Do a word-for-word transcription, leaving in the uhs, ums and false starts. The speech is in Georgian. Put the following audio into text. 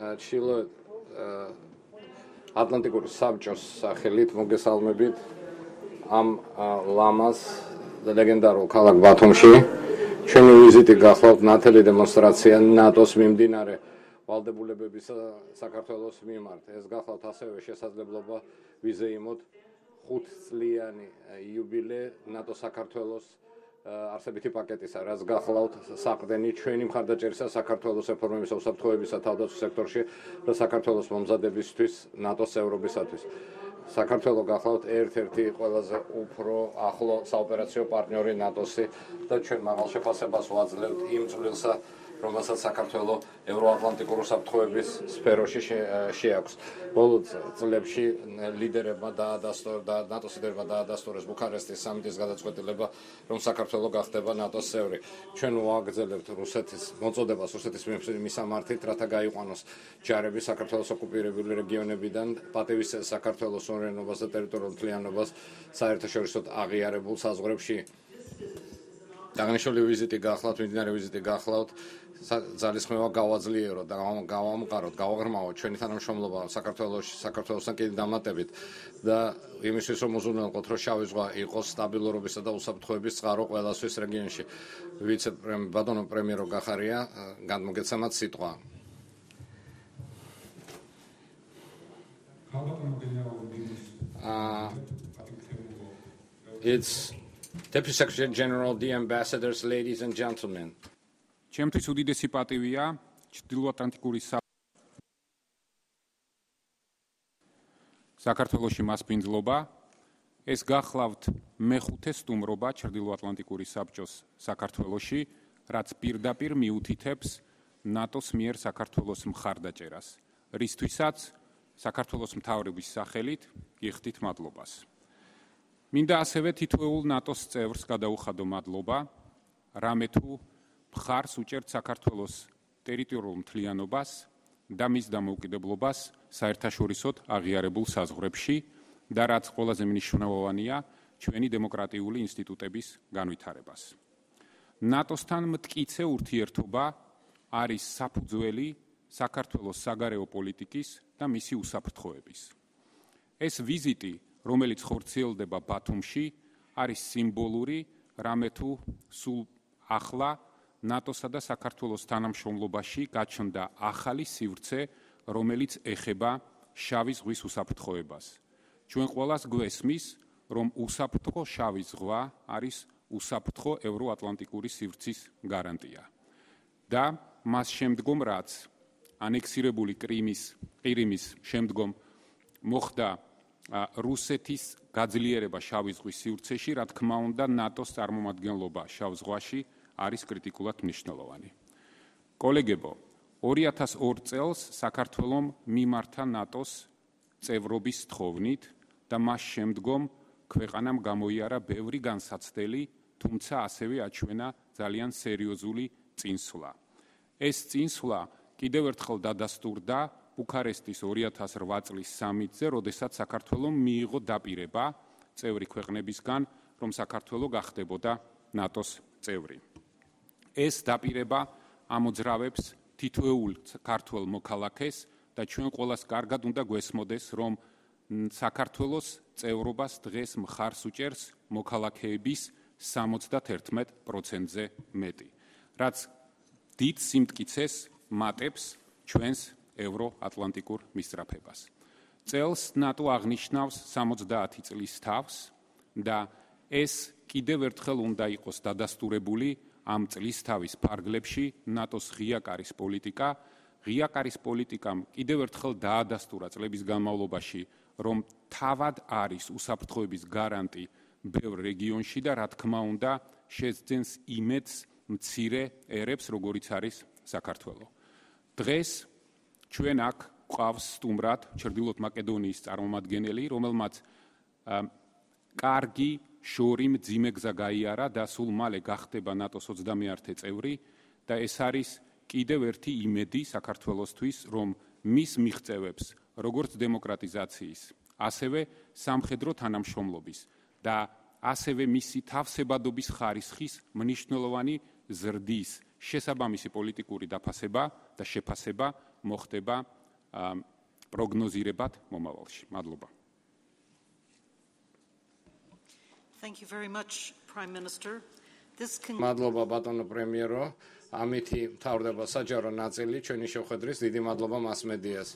ჩრდილოეთ ატლანტიკური საბჭოს სახელით მოგესალმებით ამ ლამას ლეგენდარულ ქალაქ ბათუმში. ჩვენი ვიზიტი გახლავთ ნათელი დემონსტრაცია ნატოს მიმდინარე ვალდებულებებისა საქართველოს მიმართ. ეს გახლავთ ასევე შესაძლებლობა ვიზეიმოთ ხუთწლიანი იუბილე ნატო საქართველოს არსებითი პაკეტისა, რაც გახლავთ საყრდენი ჩვენი მხარდაჭერისა საქართველოს რეფორმებისა უსაფრთხოებისა თავდაცვის სექტორში და საქართველოს მომზადებისთვის ნატოს წევრობისათვის. საქართველოს გახლავთ ერთ-ერთი ყველაზე უფრო ახლო საოპერაციო პარტნიორი ნატოსი და ჩვენ მაღალ შეფასებას ვაძლევთ იმ წვლილსა, რომელსაც საქართველოს ევროატლანტიკური უსაფრთხოების სფეროში შეაქვს. ბოლო წლებში ლიდერებმა დაადასტურა ნატოს ლიდერებმა დაადასტურეს ბუქარესტის სამიტის გადაწყვეტილება, რომ საქართველოს გახდება ნატოს წევრი. ჩვენ ვაგრძელებთ რუსეთის მოწოდებას რუსეთის მისამართით, რათა გაიყვანოს ჯარები საქართველოს ოკუპირებული რეგიონებიდან, პატივის საქართველოს სუვერენობას და ტერიტორიულ მთლიანობას საერთაშორისო აღიარებულ საზღვრებში. აღნიშნული ვიზიტი გახლავთ, მიმდინარე ვიზიტი გახლავთ ძალისხმევა გავაძლიეროთ და გავამყაროთ, გავაღრმავოთ ჩვენი თანამშრომლობა საქართველოში, საქართველოსთან კიდევ დამატებით და იმისთვის რომ უზრუნველყოთ, რომ შავი ზღვა იყოს სტაბილურობისა და უსაფრთხოების წყარო ყველასთვის რეგიონში. ვიცე-პრემიერ ბატონო პრემიერო გახარია, გადმოგეცემათ სიტყვა. Uh, it's Deputy Secretary General, the ambassadors, ladies and gentlemen. ჩემთვის უდიდესი პატივია ჩრდილოატლანტიკური საქართველოში მასპინძლობა. ეს გახლავთ მეხუთე სტუმრობა ჩრდილოატლანტიკური საბჭოს საქართველოში, რაც პირდაპირ მიუთითებს ნატოს მიერ საქართველოს მხარდაჭერას, რისთვისაც საქართველოს მთავრობის სახელით გიხდით მადლობას. მინდა ასევე თითოეულ ნატოს წევრს გადაუხადო მადლობა, რამე თუ მხარს უჭერთ საქართველოს ტერიტორიულ მთლიანობას და მის დამოუკიდებლობას საერთაშორისოდ აღიარებულ საზღვრებში და რაც ყველაზე მნიშვნელოვანია, ჩვენი დემოკრატიული ინსტიტუტების განვითარებას. ნატოსთან მტკიცე ურთიერთობა არის საფუძველი საქართველოს საგარეო პოლიტიკის და მისი უსაფრთხოების. ეს ვიზიტი, რომელიც ხორციელდება ბათუმში, არის სიმბოლური, რამე თუ სულ ახლა ნატოსა და საქართველოს თანამშრომლობაში გაჩნდა ახალი სივრცე, რომელიც ეხება შავი ზღვის უსაფრთხოებას. ჩვენ ყველას გვესმის, რომ უსაფრთხო შავი ზღვა არის უსაფრთხო ევროატლანტიკური სივრცის გარანტია. და მას შემდგომ, რაც ანექსირებული კრიმის, ყირიმის შემდგომ მოხდა რუსეთის გაძლიერება შავი ზღვის სივრცეში, რა თქმა უნდა, ნატოს წარმომადგენლობა შავ ზღვაში არის კრიტიკულად მნიშვნელოვანი. კოლეგებო, ორი ათას ორი წელს საქართველომ მიმართა ნატოს წევრობის თხოვნით და მას შემდგომ ქვეყანამ გამოიარა ბევრი განსაცდელი, თუმცა ასევე აჩვენა ძალიან სერიოზული წინსვლა. ეს წინსვლა კიდევ ერთხელ დადასტურდა ბუქარესტის ორი ათას რვა წლის სამიტზე, როდესაც საქართველომ მიიღო დაპირება წევრი ქვეყნებისგან, რომ საქართველო გახდებოდა ნატოს წევრი. ეს დაპირება ამოძრავებს თითოეულ ქართველ მოქალაქეს და ჩვენ ყველას კარგად უნდა გვესმოდეს, რომ საქართველოს წევრობას დღეს მხარს უჭერს მოქალაქეების სამოცდაერთმეტ პროცენტზე მეტი, რაც დიდ სიმტკიცეს მატებს ჩვენს ევროატლანტიკურ მისწრაფებას. წელს ნატო აღნიშნავს სამოცდაათი წლის თავს და ეს კიდევ ერთხელ უნდა იყოს დადასტურებული ამ წლისთავის ფარგლებში ნატოს ღია კარის პოლიტიკა. ღია კარის პოლიტიკამ კიდევ ერთხელ დაადასტურა წლების განმავლობაში, რომ თავად არის უსაფრთხოების გარანტი ბევრ რეგიონში და რა თქმა უნდა შეძენს იმედს მცირე ერებს, როგორიც არის საქართველო. დღეს ჩვენ აქ გვყავს სტუმრად ჩრდილოეთ მაკედონიის წარმომადგენელი, რომელმაც კარგი შორი მძიმე გზა გაიარა და სულ მალე გახდება ნატოს ოცდამეერთე წევრი და ეს არის კიდევ ერთი იმედი საქართველოსთვის, რომ მის მიღწევებს, როგორც დემოკრატიზაციის, ასევე სამხედრო თანამშრომლობის და ასევე მისი თავსებადობის ხარისხის მნიშვნელოვანი ზრდის შესაბამისი პოლიტიკური დაფასება და შეფასება მოხდება პროგნოზირებად მომავალში. მადლობა. Thank you very much, Prime Minister. This can... მადლობა ბატონო პრემიერო. ამითი მთავრდება საჯარო ნაწილი ჩვენი შეხვედრის. დიდი მადლობა მასმედიას.